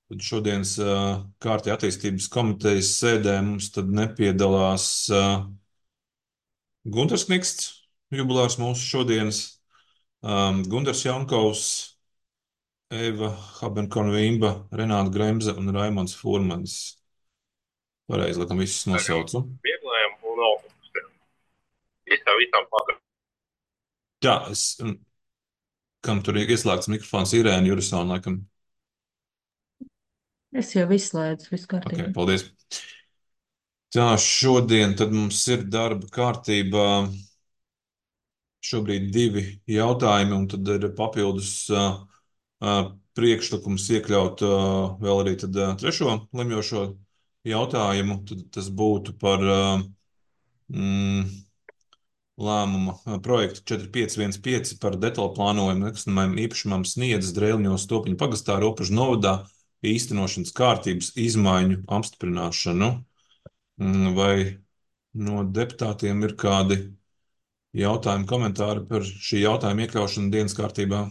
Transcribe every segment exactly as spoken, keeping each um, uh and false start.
Tad šodienas uh, kārtē attīstības komitejas sēdē mums tad nepiedalās uh, Gunters Kniksts, jubilārs mūsu šodienas, um, Gundars Jankovs, Eva Habenkonvīmba, Renāta Gremze un Raimons Furmanis. Pareizi, laikam, visus nosaucu. Vieglajam un augstiem. Es tā visam pagaidām. Jā, es, um, kam tur ir ieslēgts mikrofons, Irēna Jurisona, laikam. Es jau izslēdzu, viss Ok, kārtībā. paldies. Tā, šodien tad mums ir darba kārtībā šobrīd divi jautājumi, un tad ir papildus uh, uh, priekšlikums iekļaut uh, vēl arī tad, uh, trešo lemjošo jautājumu. Tad tas būtu par uh, mm, lēmuma uh, projektu četri pieci viens pieci par detālu plānojumu nekustamajam īpašumam Sniedzes Dreļņos Topiņu pagastā Robežu novadā īstenošanas kārtības izmaiņu apstiprināšanu. Mm, Vai no deputātiem ir kādi jautājumi, komentāri par šī jautājuma iekļaušanu dienas kārtībā?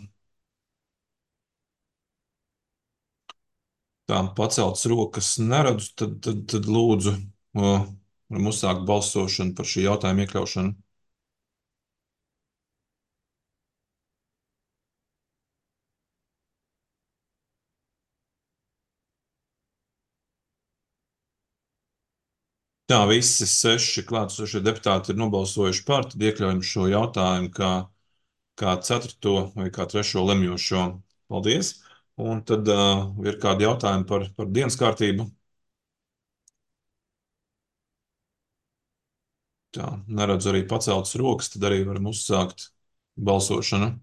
Tā paceltas rokas neredzu, tad, tad, tad lūdzu, o, varam uzsākt balsošanu par šī jautājuma iekļaušanu. Tā, visi seši klātesošie deputāti ir nobalsojuši par, tad iekļaujam šo jautājumu kā, kā ceturto vai kā trešo lemjošo. Paldies! Un tad uh, ir kādi jautājumi par, par dienas kārtību. Tā, neredzu arī paceltas rokas, tad arī varam uzsākt balsošanu.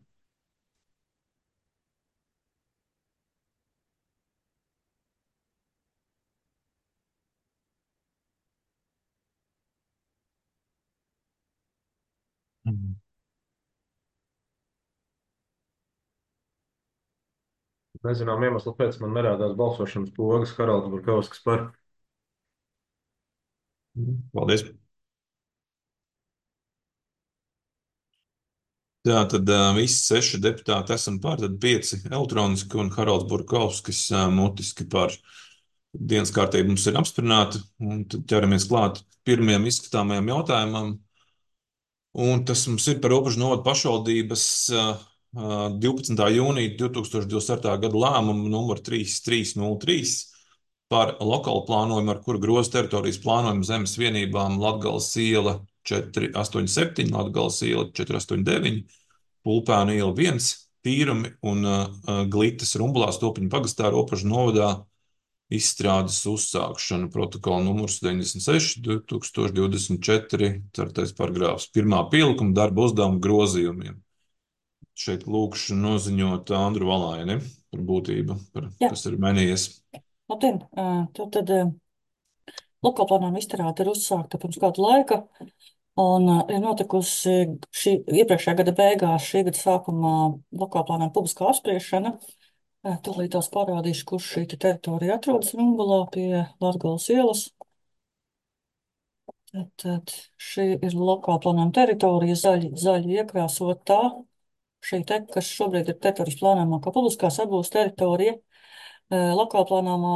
Mhm. Nezinām iemeslu pēc man nerādās balsošanas pogas Haralds Burkovskis par. Paldies! Jā, tad uh, visi seši deputāti esam pār, tad pieci elektroniski un Haralds Burkovskis uh, mutiski par. Dienas kārtība mums ir apstiprināta, un tad ķeramies klāt pirmajam izskatāmajam jautājumam. Un tas mums ir par Robežu novadu pašvaldības uh, uh, divpadsmitā jūnija divi tūkstoši divdesmit ceturtā gada lēmumu numur trīs trīs nulle trīs par lokālu plānojumu, ar kuru groza teritorijas plānojumu zemes vienībām Latgales iela četri astoņi septiņi, Latgales iela četri astoņi deviņi, Pulpēnu iela viens, Tīrumi un uh, uh, Glitas Rumblās Topiņu pagastā Robežu novadā izstrādes uzsākšanu. Protokola numurs deviņdesmit seši, divi tūkstoši divdesmit četri, ceturtais paragrāfs, pirmā pielikuma darba uzdevuma grozījumiem. Šeit lūkšu noziņot Andru Valaini par būtību, par, Jā, kas ir mainījies. labdien! Ā, Tad, tad ā, lokālplānojuma izstrāde ir uzsākta pirms kāda laika, un ā, ir notikusi šī iepriekšējā gada beigās, šī gada sākumā lokālplānojuma publiskā apspriešana. Ā, Tūlīt tās parādīšu, kur šī te teritorija atrodas Rumbulā pie Latgales ielas. Tad, tad šī ir lokālplānojuma teritorija, zaļi, zaļi iekrāsotā. Šī te, kas šobrīd ir teritorijas plānojumā, kā publiskās apgūves teritorija. Lokāla plānojuma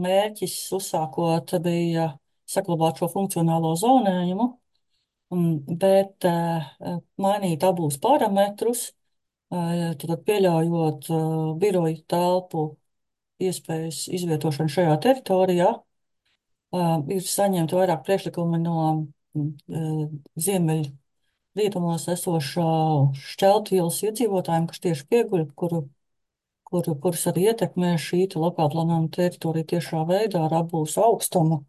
mērķis uzsākot bija saglabāt šo funkcionālo zonējumu, bet mainīt abus parametrus, tad pieļaujot biroju telpu iespējas izvietošanu šajā teritorijā. Ir saņemti vairāk priekšlikumi no ziemeļu rietumos esošā Šķeltu ielas iedzīvotājiem, kas tieši pieguļ, kuru kuru, kurus arī ietekmē šī lokāla plānojuma teritorija tiešā veidā ar apbūves augstumu,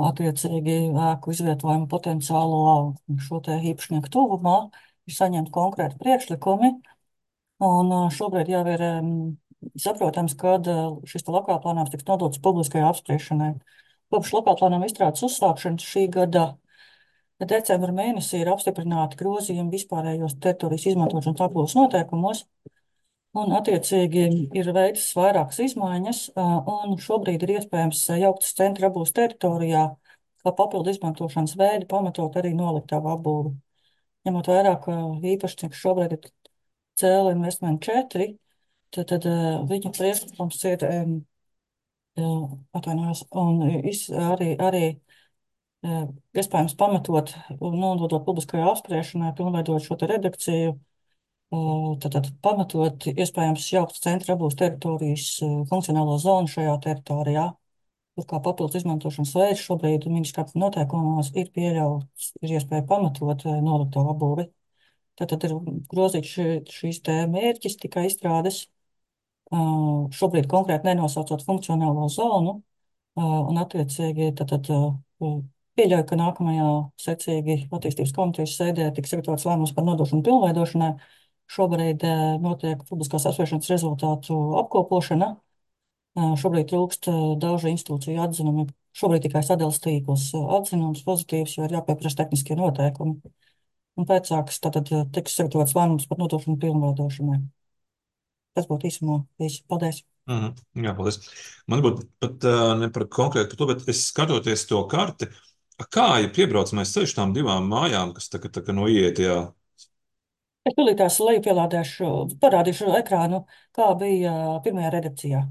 attiecīgi ēku izvietojumu potenciālo šo te īpašnieku tuvumā, ir saņemti konkrēti priekšlikumi, un šobrīd jau ir saprotams, kad šis lokāla plānojums tiks nodots publiskajai apspriešanai. Kopš lokāla plānojuma izstrādes uzsākšanas šī gada decembra mēnesī ir apstiprināti grozījumi vispārējos teritorijas izmantošanas apbūves noteikumos, un, attiecīgi, ir veikts vairākas izmaiņas, un šobrīd ir iespējams jauktas centra apbūves teritorijā, kā papildu izmantošanas veidi, pamatot arī noliktavu apbūvi. Ņemot vērā, ka īpašnieks šobrīd ir Cēla Investment četri, tad, tad viņu priekšlikums ir atvainojos, un iz, arī, arī iespējams pamatot un nododot publiskajā apspriešanai, pilnveidot šo te redakciju, tad pamatot iespējams jaukt centra abūs teritorijas funkcionālo zonu šajā teritorijā. Tur kā papildus izmantošanas veids šobrīd ministrāta noteikumos ir pieļauts, ir iespēja pamatot nolikto apbūvi. Tātad ir grozīts šī, šīs te mērķis tikai izstrādes, šobrīd konkrēti nenosaucot funkcionālo zonu, un attiecīgi tātad pieļauju, ka nākamajā secīgi attīstības komitejas sēdē tiks sagatavots lēmums par nodošanu pilnveidošanai. Šobrīd notiek publiskās apspriešanas rezultātu apkopošana. Šobrīd trūkst daudzu institūciju atzinumi. Šobrīd tikai sadales tīkls atzinums pozitīvs, jo ir jāpieprasa tehniskie noteikumi. Un pēcāks tātad tiks sagatavots lēmums par nodošanu pilnveidošanai. Tas būtu īsumā viss. Paldies! Mhm. Jā, paldies. Man būtu pat uh, ne par konkrētu par to, bet es skatoties to karti, kā ja piebraucamais ceļš tām divām mājām, kas tā, tā, tā noiet, jā. Es tūlītās leju pielādēšu, parādīšu ekrānu, kā bija pirmajā redakcijā.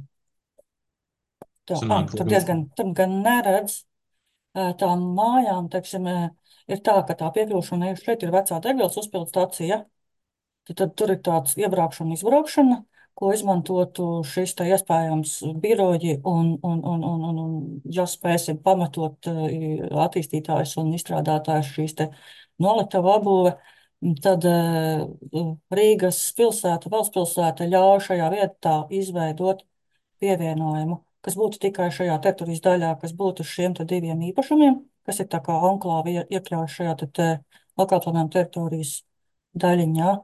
Tā, Sanāk, ah, tur labi. diezgan, tur gan neredz tām mājām, teiksim, ir tā, ka tā piekļūšana šeit ir vecā degvielas uzpildu stacija. Tad, tad tur ir tāds iebraukšana, izbraukšana, ko izmantotu šis te iespējams biroji un, un, un, un, un, un ja spēsim pamatot attīstītājs un izstrādātājs šīs te noliktavu apbūve, tad Rīgas pilsēta, valsts pilsēta ļauj šajā vietā izveidot pievienojumu, kas būtu tikai šajā teritorijas daļā, kas būtu šiem te diviem īpašumiem, kas ir tā kā anklāvi iekļauj šajā te, te lokālplanējuma teritorijas daļiņā.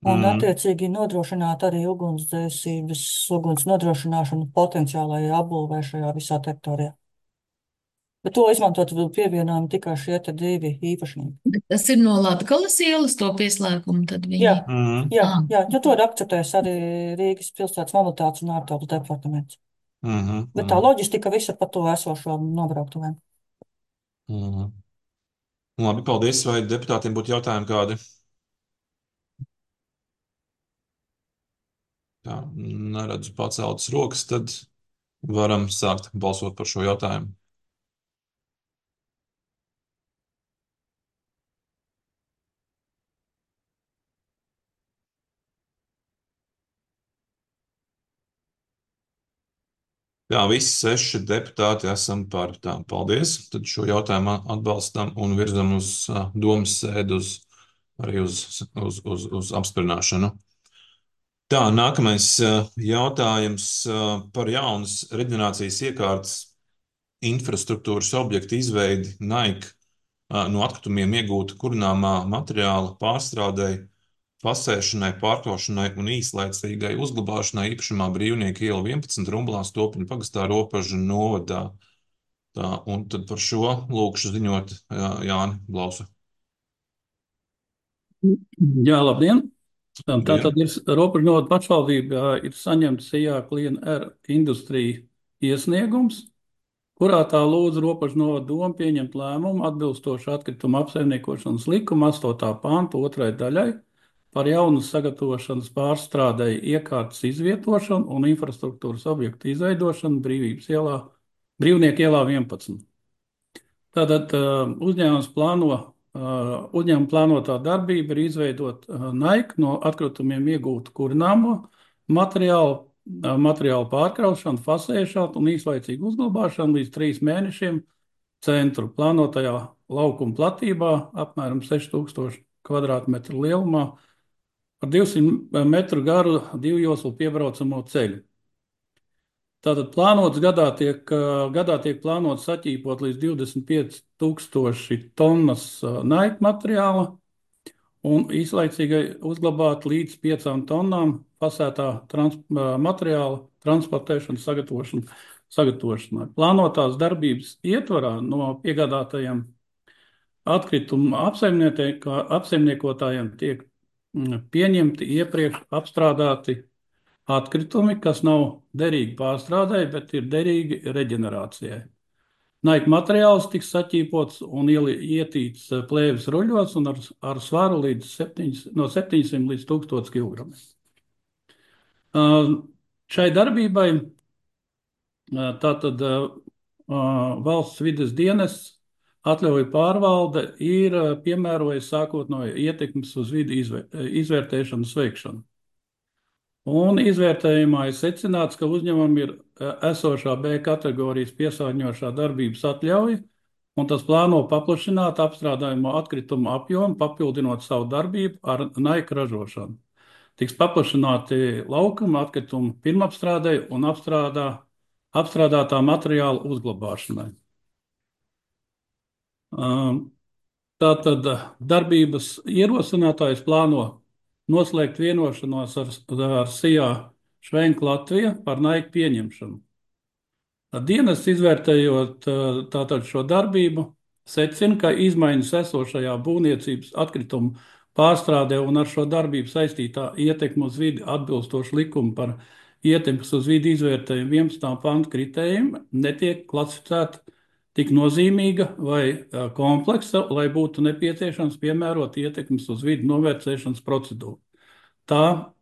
Un, Mm. attiecīgi, nodrošināt arī ugunsdzēsības, uguns nodrošināšanu potenciālajai apbūvē šajā visā teritorijā. Bet to izmantot pievienojumu tikai šie te divi īpašnieki. Bet tas ir no Latgales ielas to pieslēgumu, tad viņi... Jā, Mm. jā, Ah. jā, jo to ir akceptējis arī Rīgas pilsētas mobilitātes un ārtelpas departaments. Mm. Bet tā loģistika visa par to esošo nobrauktuvēm. Mm. Labi, paldies. Vai deputātiem būtu jautājumi kādi? Tā, neredzu paceltas rokas, tad varam sākt balsot par šo jautājumu. Jā, visi seši deputāti esam par tām. Paldies. Tad šo jautājumu atbalstam un virzam uz uh, domas sēdu, uz, arī uz, uz, uz, uz apsprināšanu. Tā, nākamais uh, jautājums uh, par jaunas reģenerācijas iekārtas infrastruktūras objektu izveidi Nike uh, no atkritumiem iegūta kurināmā materiāla pārstrādei, fasēšanai, pārkošanai un īslaicīgai uzglabāšanai īpašumā Brīvnieku iela vienpadsmit Rumblās Topiņu pagastā Ropažu novadā. Tā, un tad par šo lūkšu ziņot jā, Jāni Blausu. Jā, labdien! Tā Labdien. tad ir Ropažu novada pašvaldībā ir saņemts Sijā Clean Air industrija iesniegums, kurā tā lūdz Ropažu novada domu pieņemt lēmumu atbilstoši atkrituma apsaimniekošanas likuma astotā panta otrai daļai par jaunas sagatavošanas pārstrādei iekārtas izvietošanu un infrastruktūras objektu izveidošanu Brīvības ielā, Brīvnieku ielā vienpadsmit. Tātad uzņēmums plāno, uzņēmuma plānotā darbība ir izveidot Nike no atkritumiem iegūtu kurināmo materiālu, materiālu pārkraušanu, fasēšanu un īslaicīgu uzglabāšanu līdz trīs mēnešiem centru plānotajā laukuma platībā apmēram seši tūkstoši kvadrātmetru lielumā ar divsimt metru garu divu joslu piebraucamo ceļu. Tātad plānots gadā tiek, gadā tiek plānots saķīpot līdz divdesmit pieci tūkstoši tonnas Nike materiāla un īslaicīgai uzglabāt līdz piecām tonnām fasētā trans, materiāla transportēšanu, sagatavošanu, sagatavošanai. Plānotās darbības ietvarā no piegādātajiem atkritumu apsaimniekotājiem tiek pieņemti iepriekš apstrādāti atkritumi, kas nav derīgi pārstrādai, bet ir derīgi reģenerācijai. Nike materiāls tiks saķīpots un ietīts plēves ruļos un ar, ar svaru līdz septiņas, no septiņsimt līdz tūkstoš kilogramiem. Uh, šai darbībai Tātad valsts vides dienests atļauju pārvalde ir piemērojis sākotnējo ietekmes uz vidi izvērtēšanas veikšanu. Un izvērtējumā ir secināts, ka uzņēmumam ir esošā B kategorijas piesārņojošā darbības atļauja, un tas plāno paplašināt apstrādājumu atkritumu apjomu, papildinot savu darbību ar naika ražošanu. Tiks paplašināti laukuma atkritumu pirmapstrādei un apstrādā, apstrādātā materiāla uzglabāšanai. Tātad darbības ierosinātājs plāno noslēgt vienošanos ar, ar S I A Švenk Latvija par naika pieņemšanu. Dienas izvērtējot tātad šo darbību, secina, ka izmaiņas esošajā būvniecības atkritumu pārstrādē un ar šo darbību saistītā ietekme uz vidi atbilstoši likumu par ietekmes uz vidi izvērtējumu vienpadsmitā panta kritērijiem netiek klasificēta tik nozīmīga vai kompleksa, lai būtu nepieciešams piemērot ietekmes uz vidi novērtēšanas procedūru. Tā,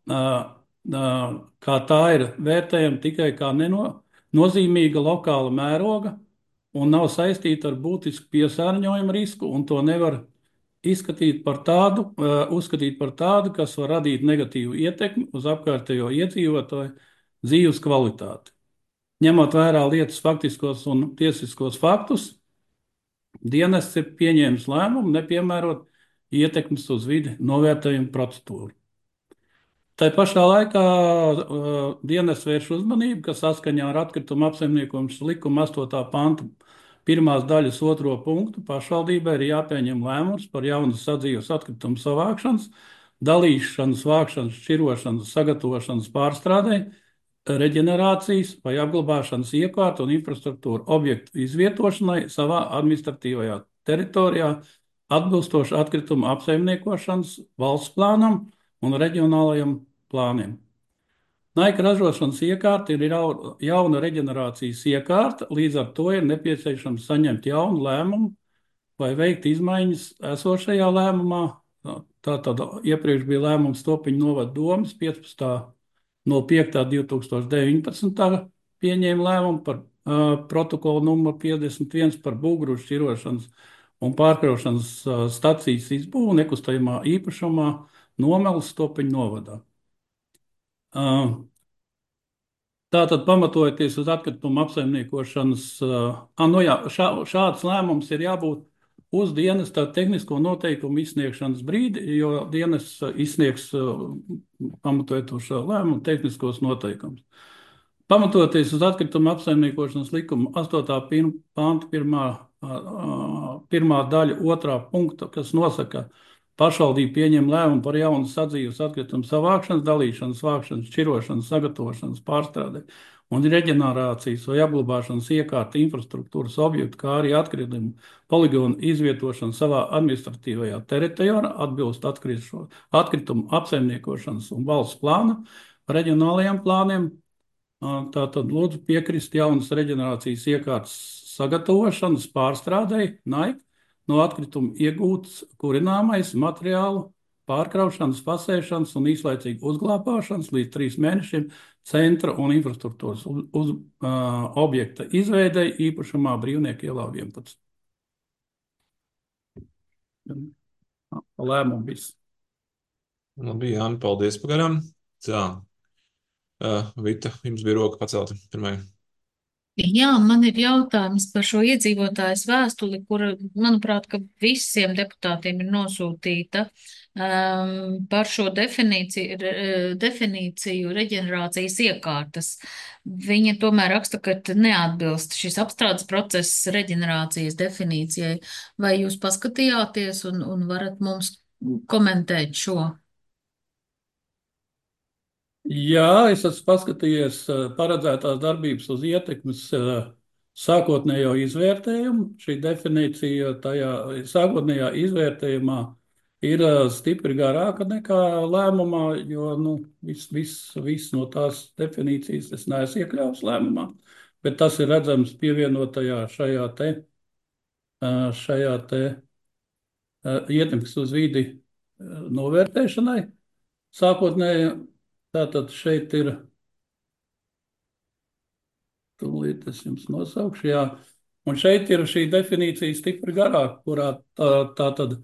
kā tā ir vērtējama tikai kā neno, nozīmīga lokāla mēroga un nav saistīta ar būtisku piesārņojumu risku, un to nevar izskatīt par tādu, uzskatīt par tādu, kas var radīt negatīvu ietekmi uz apkārtējo iedzīvotāju dzīves kvalitāti. Ņemot vērā lietas faktiskos un tiesiskos faktus, dienests ir pieņēmis lēmumu nepiemērot ietekmes uz vidi novērtējumu procedūru. Tā pašā laikā uh, dienests vērš uzmanību, ka saskaņā ar atkritumu apsaimniekošanas likuma astotā panta pirmās daļas otro punktu pašvaldībai ir jāpieņem lēmums par jaunas sadzīves atkritumu savākšanas, dalīšanas, vākšanas, šķirošanas, sagatavošanas pārstrādei, reģenerācijas vai apglabāšanas iekārtu un infrastruktūru objektu izvietošanai savā administratīvajā teritorijā atbilstoši atkritumu apsaimniekošanas valsts plānam un reģionālajiem plāniem. Naika ražošanas iekārta ir jauna reģenerācijas iekārta, līdz ar to ir nepieciešams saņemt jaunu lēmumu vai veikt izmaiņas esošajā lēmumā. Tātad iepriekš bija lēmums Topiņu novada domes piecpadsmitā no piekta divi tūkstoši deviņpadsmitā pieņēma lēmumu par uh, protokolu numuru piecdesmit viens par būgru šķirošanas un pārkraušanas uh, stacijas izbūvu nekustamā īpašumā Nomeles Topiņu novadā. Uh, tātad pamatojoties uz atkritumu apsaimniekošanas, uh, no jā, šā, šāds lēmums ir jābūt uz dienesta tehnisko noteikumu izsniegšanas brīdi, jo dienests izsniegs pamatojot uz šo lēmumu tehniskos noteikumus. Pamatoties uz atkritumu apsaimniekošanas likuma astotā panta pirmā, pirmā daļa otrā punkta, kas nosaka, pašvaldība pieņem lēmumu par jaunu sadzīves atkritumu savākšanas, dalīšanas, vākšanas, šķirošanas, sagatavošanas, pārstrādē un reģenerācijas vai apglabāšanas iekārta infrastruktūras objektu, kā arī atkritumu poligonu izvietošanu savā administratīvajā teritorijā atbilst atkritumu apsaimniekošanas un valsts plāna reģionālajiem plāniem. Tātad lūdzu piekrist jaunas reģenerācijas iekārtas sagatavošanas pārstrādei, naik, no atkritumu iegūtas kurināmais materiālu pārkraušanas, pasēšanas un īslaicīgi uzglabāšanas līdz trīs mēnešiem centra un infrastruktūras uz, uz uh, objekta izveidei īpašumā Brīvnieku ielā vienpadsmit. Lēmumu viss. Labi, Jāni, paldies pagaram. Tā, uh, Vita, jums bija roka pacelta pirmajai. Jā, man ir jautājums par šo iedzīvotājs vēstuli, kura, manuprāt, ka visiem deputātiem ir nosūtīta um, par šo definīciju, re, definīciju reģenerācijas iekārtas. Viņa tomēr raksta, ka neatbilst šis apstrādes process reģenerācijas definīcijai. Vai jūs paskatījāties un, un varat mums komentēt šo? Jā, es esmu paskatījies paredzētās darbības uz ietekmes sākotnējo izvērtējumu. Šī definīcija tajā sākotnējā izvērtējumā ir stipri garāka nekā lēmumā, jo nu, viss vis, vis no tās definīcijas es neesmu iekļāvis lēmumā, bet tas ir redzams pievienotajā šajā te, šajā te ietekmes uz vidi novērtēšanai sākotnēji. Tātad šeit ir tūlīt es jums nosaukšu, jā. Un šeit ir šī definīcija stipri garāka, kurā tā, tā tad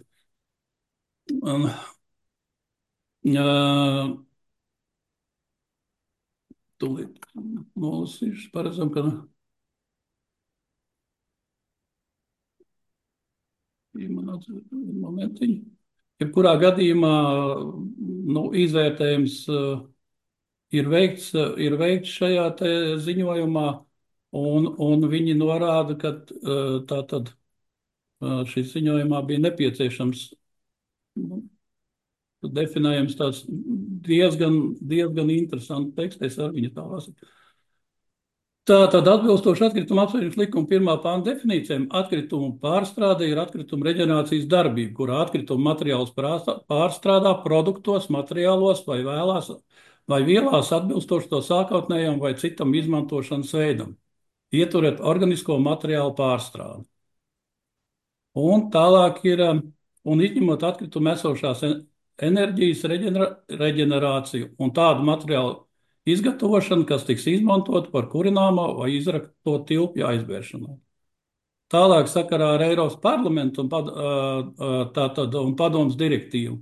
um, uh, tūlīt nolasīšu, paredzam, ka man atzīst momentiņu. Jebkurā gadījumā nu, izvērtējums uh, ir veikts, uh, ir veikts šajā te ziņojumā, un, un viņi norāda, ka uh, tā tad uh, šī ziņojumā bija nepieciešams nu, definējams tāds diezgan, diezgan interesants teksts, es ar viņu tā lasu. Tātad atbilstoši atkrituma apsvēršanas likuma pirmā panta definīcijām, atkritumu pārstrāde ir atkrituma reģenerācijas darbība, kurā atkrituma materiālus pārstrādā produktos, materiālos vai vēlās vai vielās atbilstoši to sākotnējam vai citam izmantošanas veidam, ieturēt organisko materiālu pārstrādi. Un tālāk ir, un izņemot atkrituma esošās enerģijas reģenera, reģenerāciju un tādu materiālu izgatavošana, kas tiks izmantot par kurināmo vai izrakto tilpju aizbēršanai. Tālāk sakarā ar Eiropas parlamentu un, pad, tātad, un padomas direktīvu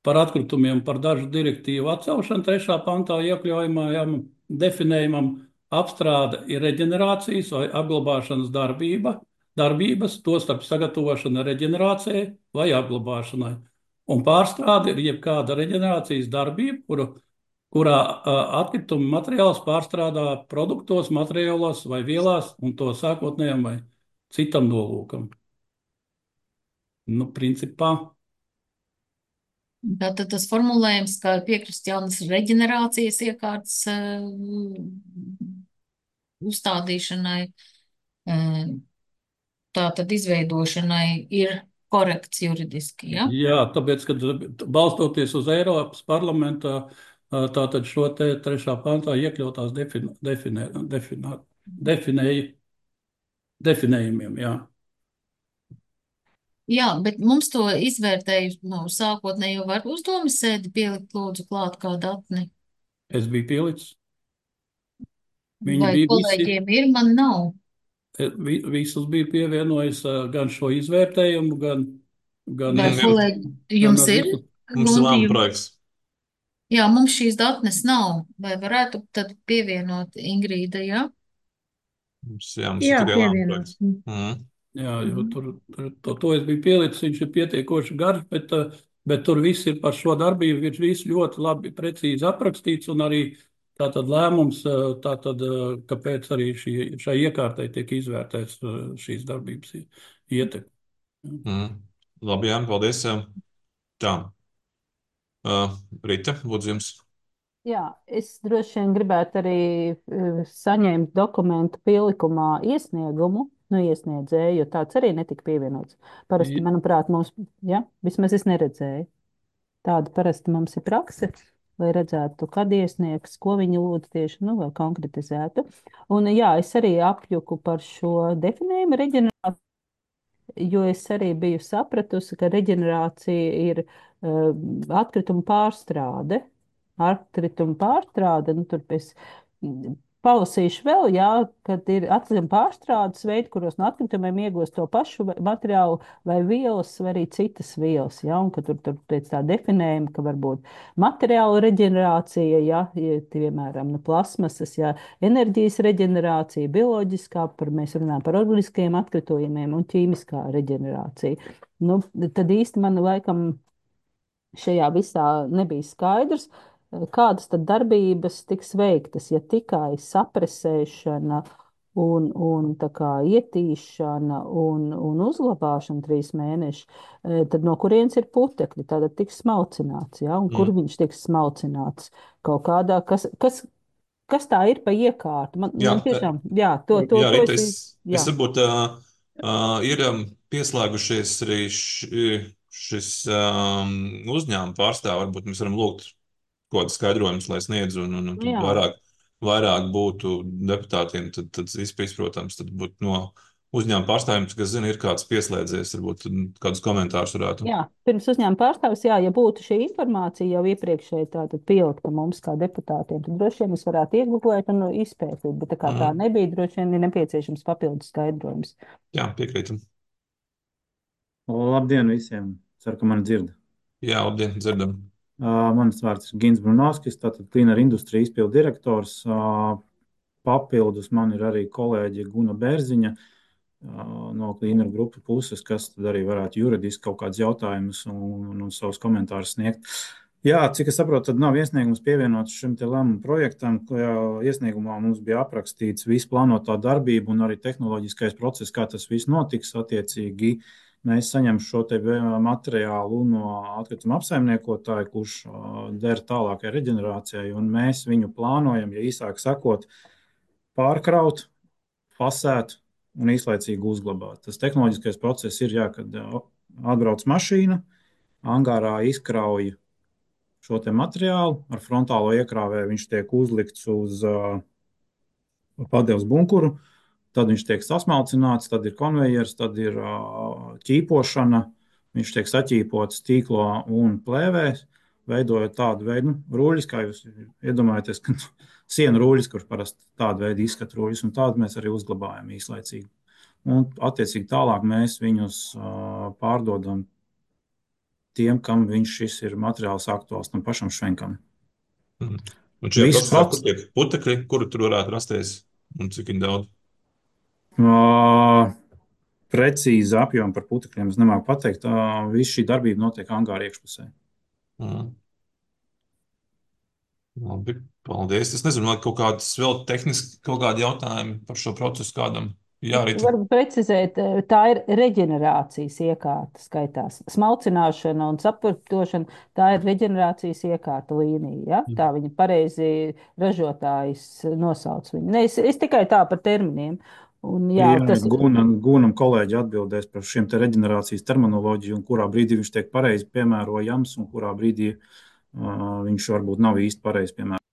par atkritumiem par dažu direktīvu atcelšanu trešā pantā iekļaujamajam definējumam apstrāde ir reģenerācijas vai apglabāšanas darbība, darbības, tostarp sagatavošana reģenerācijai vai apglabāšanai. Un pārstrāde ir jebkāda reģenerācijas darbība, kuru kurā atkrituma materiāls pārstrādā produktos, materiālos vai vielās un to sākotnējam vai citam nolūkam. Nu, principā. Tātad tas formulējums, kā piekrist jaunas reģenerācijas iekārtas uh, uzstādīšanai, uh, tātad izveidošanai ir korekts juridiski, ja? Jā, tāpēc, kad balstoties uz Eiropas parlamentā, tātad šo te trešā pantā iekļautās defini, definē, definē, definēja, definējumiem, jā. Jā, bet mums to izvērtēju no sākotnējo var uzdomas sēdi pielikt lūdzu klāt kā datni. Es biju pielicis. Viņi Vai bija kolēģiem visi, ir, man nav. Vi, visus bija pievienojis gan šo izvērtējumu, gan... gan Vai es, kolēģi, jums gan ir? Mums ir lēma projekts. Jā, mums šīs datnes nav. Vai varētu tad pievienot Ingrīda, jā? Mums, jā, mums Jā, ir tikai lēma pievienot. projekts. Mm. Jā, jo tur, tur to, to es biju pielicis, viņš ir pietiekoši garš, bet, bet tur viss ir par šo darbību, viņš viss ļoti labi, precīzi aprakstīts, un arī tātad lēmums, tātad, kāpēc arī šī, šai iekārtai tiek izvērtēts šīs darbības ietekme. Mm. Labi, jā, paldies. Tā. Uh, Rita, lūdzu jums. Jā, es droši vien gribētu arī uh, saņemt dokumentu pielikumā iesniegumu no iesniedzēja, jo tāds arī netika pievienots. Parasti, manuprāt, mums, ja, vismaz es neredzēju. Tāda parasti mums ir prakse, lai redzētu, kad iesniegs, ko viņi lūdz tieši, nu, vai konkretizētu. Un jā, es arī apjuku par šo definējumu reģenerāciju, jo es arī biju sapratusi, ka reģenerācija ir uh, atkrituma pārstrāde. Atkrituma pārstrāde, nu tur es palasīšu vēl, jā, kad ir atkrituma pārstrādes veidi, kuros no atkritumiem iegūst to pašu materiālu vai vielas, vai arī citas vielas, jā, un ka tur, tur pēc tā definējuma, ka varbūt materiāla reģenerācija, jā, piemēram, no plasmasas, jā, enerģijas reģenerācija, bioloģiskā, par, mēs runājam par organiskajiem atkritumiem un ķīmiskā reģenerācija. Nu, tad īsti man laikam šajā visā nebija skaidrs, kādas tad darbības tiks veiktas, ja tikai sapresēšana un, un tā kā ietīšana un, un uzglabāšana trīs mēneši, tad no kurienes ir putekļi, tātad tiks smalcināts, ja? Un kur mm. viņš tiks smalcināts kaut kādā, kas, kas, kas tā ir pa iekārtu? Man, jā, man tiešām, jā, to, to, jā, to Rita, es, es, jā. es varbūt uh, uh, ir um, pieslēgušies arī š, šis um, uzņēmuma pārstāv, varbūt mēs varam lūgt kaut kādu skaidrojumus, lai sniedzu, un, un, un vairāk, vairāk būtu deputātiem, tad, tad izprotams, tad būtu no uzņēmuma pārstāvjiem, kas zina, ir kāds pieslēdzies, varbūt kādus komentārus varētu. Jā, pirms uzņēmuma pārstāvis, jā, ja būtu šī informācija jau iepriekšēji tātad pielikta mums kā deputātiem, tad droši vien mēs varētu iegublēt un izpētīt, bet tā kā tā Mhm. nebija, droši vien ir nepieciešams papildus skaidrojums. Jā, piekrītam. Labdien visiem! Ceru, ka mani dzird. Jā, labdien, dzirdam. Uh, Mans vārds ir Gins Brunovskis, tātad Cleaner Industry izpildu direktors. Uh, Papildus man ir arī kolēģe Guna Bērziņa uh, no Cleaner grupu puses, kas tad arī varētu juridiski kaut kādus jautājumus un, un, un savus komentārus sniegt. Jā, cik es saprotu, tad nav iesniegums pievienots šim te lēmumu projektam. Iesniegumā mums bija aprakstīts visu plānotā darbība un arī tehnoloģiskais process, kā tas viss notiks attiecīgi. Mēs saņemam šo te materiālu no atkrituma apsaimniekotāja, kurš der tālākai reģenerācijai, un mēs viņu plānojam, ja īsāk sakot, pārkraut, fasēt un īslaicīgi uzglabāt. Tas tehnoloģiskais process ir, jā, kad atbrauc mašīna, angārā izkrauj šo te materiālu, ar frontālo iekrāvēju viņš tiek uzlikts uz uh, padevas bunkuru, tad viņš tiek sasmalcināts, tad ir konvejers, tad ir uh, ķīpošana, viņš tiek saķīpots tīklo un plēvēs, veidojot tādu veidu, nu, rūļus, kā jūs iedomājaties, ka sienu rūļus, kurš parasti tādu veidu izskata rūļus, un tādu mēs arī uzglabājam īslaicīgi. Un attiecīgi tālāk mēs viņus uh, pārdodam tiem, kam viņš šis ir materiāls aktuāls, tam pašam švenkam. Mhm. Un šie Viss procesā, pats- kur tiek putekļi, kuru tur varētu rasties un cik viņi daudz? Uh, Precīzi apjomu par putekļiem es nemāku pateikt. Uh, Viss šī darbība notiek angāra iekšpusē. Mhm. Labi, paldies. Es nezinu, vai kaut kādas vēl tehniski kaut kādi jautājumi par šo procesu kādam jārita. Varbūt precizēt, eh, tā ir reģenerācijas iekārta skaitās. Smalcināšana un sapurtošana, tā ir reģenerācijas iekārta līnija. Ja? Tā viņa pareizi ražotājs nosauc viņu. Ne, es, es tikai tā par terminiem. Un, jā, Jā, tas ir Gunam, Gunam kolēģi atbildēs par šiem te reģenerācijas terminoloģiju un kurā brīdī viņš tiek pareizi piemērojams un kurā brīdī uh, viņš varbūt nav īsti pareizi piemērojams.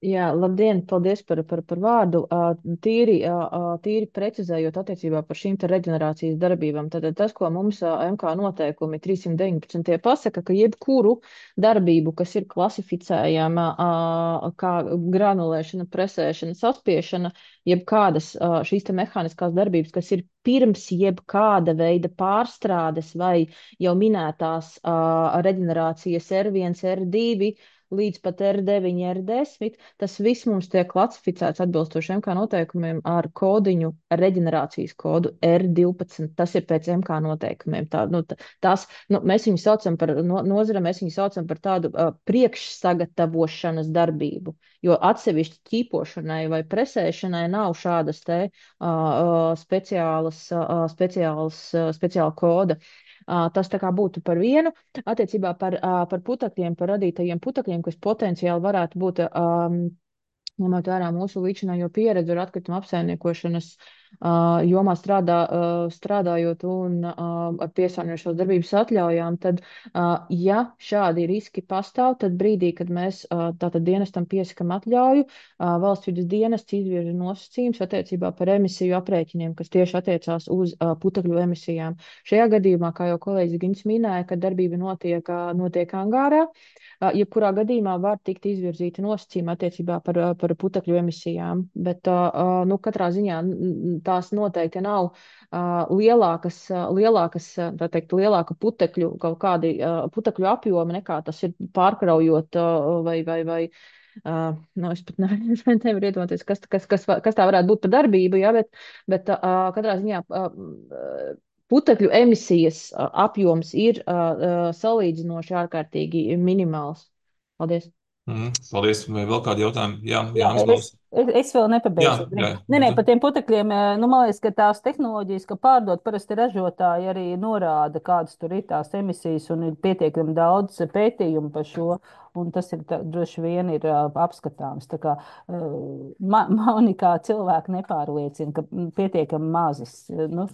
Jā, labdien, paldies par, par, par vārdu. Ā, Tīri, ā, ā, tīri precizējot attiecībā par šīm te reģenerācijas darbībām, tad tas, ko mums ā, M K noteikumi trīssimt deviņpadsmit pasaka, ka jebkuru darbību, kas ir klasificējama ā, kā granulēšana, presēšana, saspiešana, jebkādas ā, šīs te mehāniskās darbības, kas ir pirms jebkāda veida pārstrādes vai jau minētās ā, reģenerācijas R viens, R divi, līdz pat R deviņi, R desmit, tas viss mums tiek klasificēts atbilstoši M K noteikumiem ar kodiņu, ar reģenerācijas kodu R divpadsmit. Tas ir pēc M K noteikumiem. Tā, nu, tās, nu, mēs viņu saucam par no, nozara, mēs viņu saucam par tādu uh, priekšsagatavošanas darbību, jo atsevišķi ķīpošanai vai presēšanai nav šādas te uh, uh, speciālas, uh, speciālas, uh, speciāla koda. Uh, tas tā kā būtu par vienu. Attiecībā par, uh, par putekļiem, par radītajiem putekļiem, kas potenciāli varētu būt, um, ņemot vērā mūsu līdzinējo pieredzi ar atkritumu apsaimniekošanas uh, jomā strādā, uh, strādājot un uh, ar piesārņojošās darbības atļaujām, tad, uh, ja šādi riski pastāv, tad brīdī, kad mēs uh, tātad dienestam piesakam atļauju, uh, valsts vides dienests izvirza nosacījums attiecībā par emisiju aprēķiniem, kas tieši attiecās uz uh, putekļu emisijām. Šajā gadījumā, kā jau kolēģis Gins minēja, kad darbība notiek, uh, notiek angārā, uh, jebkurā gadījumā var tikt izvirzīti nosacījumi attiecībā par, uh, par putekļu emisijām, bet uh, nu, katrā ziņā tās noteikti nav uh, lielākas, uh, lielākas, tā teikt, lielāka putekļu kaut kādi uh, putekļu apjomi nekā tas ir pārkraujot uh, vai, vai, vai uh, nu, es pat nevaru, nevaru iedomāties, kas, kas, kas, kas tā varētu būt par darbību, ja, bet, bet uh, katrā ziņā uh, putekļu emisijas uh, apjoms ir uh, uh, salīdzinoši ārkārtīgi minimāls. Paldies! Mm, paldies. Vai vēl kādi jautājumi? Jā, Jā, Jānis es, Laus. es, es vēl nepabeidzu. Jā, jā. Nē, nē, par tiem putekļiem, nu, man liekas, ka tās tehnoloģijas, ka pārdot, parasti ražotāji arī norāda, kādas tur ir tās emisijas, un ir pietiekami daudz pētījumu par šo, un tas ir tā, droši vien ir uh, apskatāms. Tā kā uh, man, mani kā cilvēku nepārliecina, ka pietiekami mazas, nu,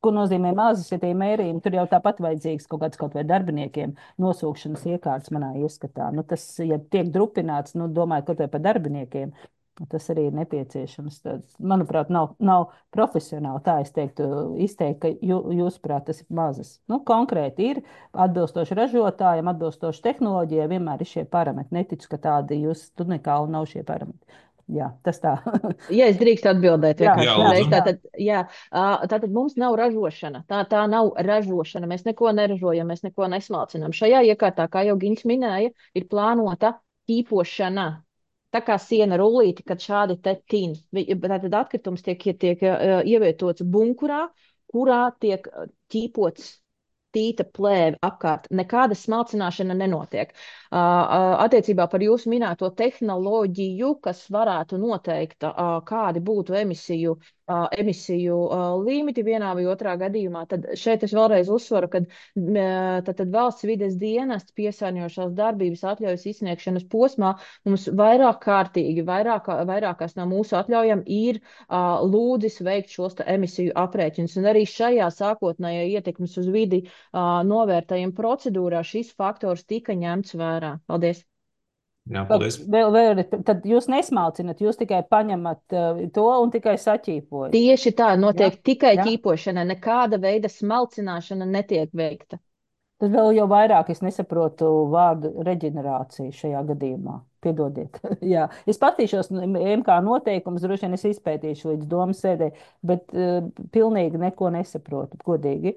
ko nozīmē mazas, ja tie mērījumi, tur jau tāpat vajadzīgs kaut kāds kaut vai darbiniekiem nosūkšanas iekārtas manā ieskatā. Nu, tas, ja tiek drupināts, nu, domāju, kaut vai par darbiniekiem, Tas arī ir nepieciešams. Tas, manuprāt, nav, nav profesionāli. Tā es teiktu, izteikt, ka jū, jūsuprāt, tas ir mazas. Nu, konkrēti ir atbilstoši ražotājiem, atbilstoši tehnoloģijai, vienmēr ir šie parametri. Neticu, ka tādi jūs tur nekā nav šie parametri. Jā, tas tā. Ja es drīkstu atbildēt, Jā, vienkārši Jā, jā, uzreiz, lūdzu. jā. tātad, jā, ā, tātad mums nav ražošana. Tā, tā nav ražošana. Mēs neko neražojam, mēs neko nesmalcinām. Šajā iekārtā, kā jau Gins minēja, ir plānota tīpošana. Tā kā siena rullīti, kad šādi te tin. Vi- Tātad atkritums tiek, tiek ā, ievietots bunkurā, kurā tiek ā, tīpots tīta plēve apkārt. Nekāda smalcināšana nenotiek. Uh, uh, attiecībā par jūsu minēto tehnoloģiju, kas varētu noteikt, uh, kādi būtu emisiju, uh, emisiju uh, limiti vienā vai otrā gadījumā, tad šeit es vēlreiz uzsveru, ka uh, tad, tad valsts vides dienests piesārņojošās darbības atļaujas izsniegšanas posmā mums vairāk kārtīgi, vairāk, vairākās no mūsu atļaujam ir uh, lūdzis veikt šos te emisiju aprēķinus. Un arī šajā sākotnējā ietekmes uz vidi uh, novērtējuma procedūrā šis faktors tika ņemts vērā. Paldies! Jā, Vēl, paldies. vēl, vēl, tad jūs nesmalcinat, jūs tikai paņemat uh, to un tikai saķīpojat. Tieši tā, Jā, notiek tikai jā. ķīpošana, nekāda veida smalcināšana netiek veikta. Tad vēl jau vairāk es nesaprotu vārdu reģenerācija šajā gadījumā. Piedodiet. Jā. Es patīšos M K noteikumus, droši vien es izpētīšu līdz domas sēdē, bet uh, pilnīgi neko nesaprotu, godīgi.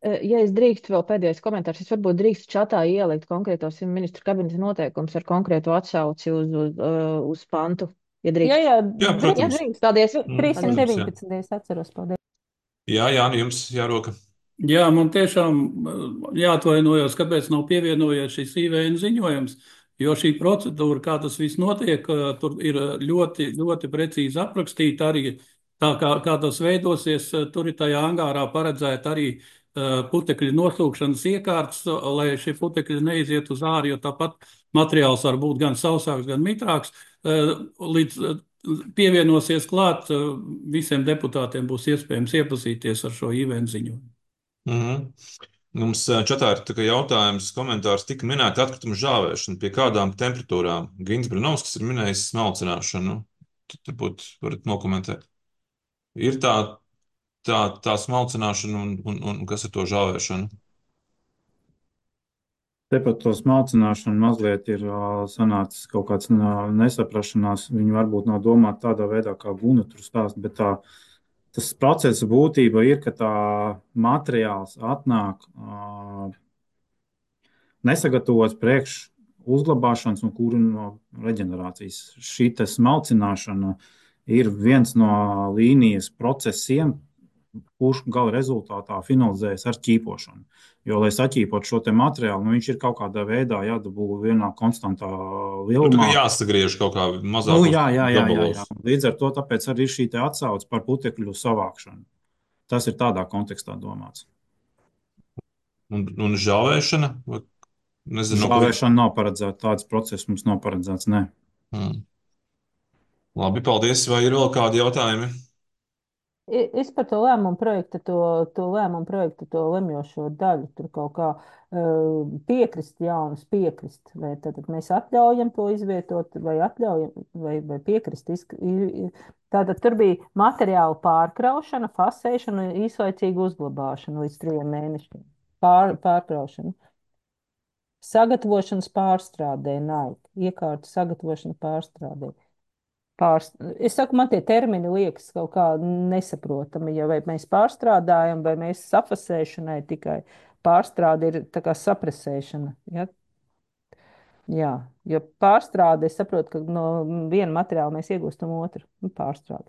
Eh, Ja es drīkstu vēl pēdējais komentārs, es varbūt drīkstu čatā ielikt konkrētos ministru kabineta noteikumus ar konkrētu atsauci uz, uz, uh, uz pantu, ja Jā, drīkst. jā, Jā, Ja drīkst. protams. drīkst, paldies. Mm, Paldies. protams, jā. trīsimt deviņpadsmit. Es atceros, paldies. Jā, Jāni, jums jāroka. Jā, man tiešām uh, jāatvainojas, kāpēc nav pievienojies šis I V N ziņojums, jo šī procedūra, kā tas viss notiek, uh, tur ir uh, ļoti, ļoti precīzi aprakstīta arī tā, kā, kā tas veidosies. uh, Tur ir tajā angārā paredzēta arī uh, putekļu nosūkšanas iekārtas, uh, lai šie putekļi neiziet uz ārā, jo tāpat materiāls var būt gan sausāks, gan mitrāks. Uh, Līdz uh, pievienosies klāt, uh, visiem deputātiem būs iespējams iepazīties ar šo I V N ziņojumu. Mhm. Mums ā, čatā ir tā kā jautājums, komentārs tika minēta atkrituma žāvēšana. Pie kādām temperatūrām? Gins Brunovskis ir minējis smalcināšanu. Tad varbūt varat nokomentēt. Ir tā, tā, tā smalcināšana un, un, un kas ar to žāvēšanu? Te par to smalcināšanu mazliet ir ā, sanācis kaut kāds ā, nesaprašanās. Viņi varbūt nav domāti tādā veidā, kā Guna tur stāst, bet tā, tas procesa būtība ir, ka tā materiāls atnāk ā, nesagatavots priekš uzglabāšanas un kurino reģenerācijas. Šī te smalcināšana ir viens no līnijas procesiem, kurš gala rezultātā finalizējas ar ķīpošanu. Jo, lai saķīpotu šo te materiālu, nu, viņš ir kaut kādā veidā jādabū vienā konstantā Nu, tā lielumā. kā jāsagriež kaut kā Nu, mazākos jā, jā, jā, jā, gabalos. jā. Līdz ar to tāpēc arī ir šī te atsauce par putekļu savākšanu. Tas ir tādā kontekstā domāts. Un, un žāvēšana? Vai- Nezinu, no kur. Žāvēšana nav paredzēta, tāds process mums nav paredzēts, nē. Hmm. Labi, paldies. Vai ir vēl kādi jautājumi? I- Es par to lēmumu projektu, to, to lēmumu projektu, to lemjošo daļu, tur kaut kā uh, piekrist, jaunas piekrist, vai tad mēs atļaujam to izvietot, vai atļaujam, vai, vai piekrist. Izk- i- i- Tātad tur bija materiāla pārkraušana, fasēšana un īslaicīga uzglabāšana līdz trijiem mēnešiem. Pār, pārkraušana. Sagatavošanas pārstrādē, nav. Iekārtu sagatavošana pārstrādē. Pārst... Es saku, man tie termini liekas kaut kā nesaprotami, ja vai mēs pārstrādājam, vai mēs sapasēšanai tikai pārstrāde ir tā kā saprasēšana. Ja? Jā, jo pārstrāde, es saprotu, ka no viena materiāla mēs iegūstam otru. Nu, pārstrāde.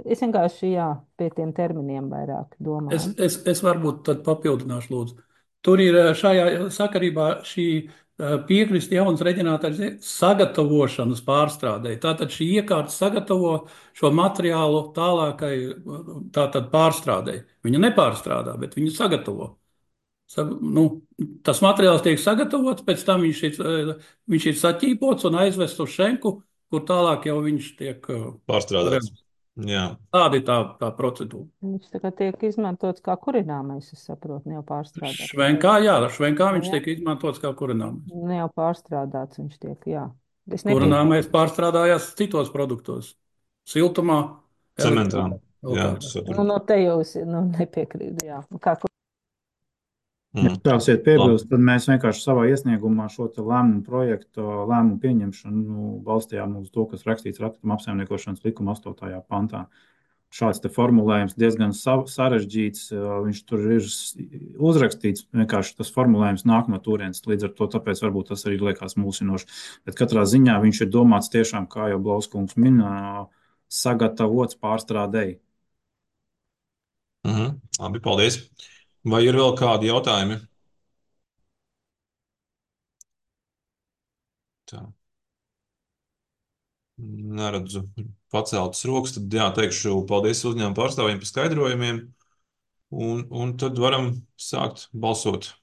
Es vienkārši, jā, pie tiem terminiem vairāk Es, domāju. es, es varbūt tad papildināšu, lūdzu. Tur ir eh, šajā sakarībā šī eh, piekrist jaunas reģenerācijas sagatavošanas pārstrādē. Tātad šī iekārta sagatavo šo materiālu tālākai eh, tātad pārstrādē. Viņa nepārstrādā, bet viņa sagatavo. Sa, nu, tas materiāls tiek sagatavots, pēc tam viņš ir, eh, viņš ir saķīpots un aizvests uz šenku, kur tālāk jau viņš tiek eh, Pārstrādāts. realizēts. Jā. Tāda ir tā, tā procedūra. Viņš tā kā tiek izmantots kā kurināmais, es saprotu, ne jau pārstrādāts. Švenkā, jā, švenkā viņš Jā. tiek izmantots kā kurināmais. Ne jau pārstrādāts viņš tiek, jā. Es Kurināmais nepiekrītu. pārstrādājās citos produktos. Siltumā, Cementā. elektrībā, vēl Jā, kādā. Nu, sapratu. no te jau es nu, nepiekrītu. Jā. Nu, Kā, Ja Mm. tāsiet Labi. piebilst, tad mēs vienkārši savā iesniegumā šo te lēmumu projektu, lēmumu pieņemšanu nu, balstījām uz to, kas rakstīts atkrituma apsaimniekošanas likuma astotajā pantā. Šāds te formulējums diezgan sa- sarežģīts, viņš tur ir s- uzrakstīts, vienkārši tas formulējums nāk no turienes, līdz ar to tāpēc varbūt tas arī liekas mulsinoši. Bet katrā ziņā viņš ir domāts tiešām, kā jau Blauskungs min, sagatavots pārstrādēji. Mhm. Labi, paldies. Vai ir vēl kādi jautājumi? Tā. Neredzu paceltas rokas, tad jā, teikšu paldies uzņēmumu pārstāvjiem par skaidrojumiem, un, un tad varam sākt balsot.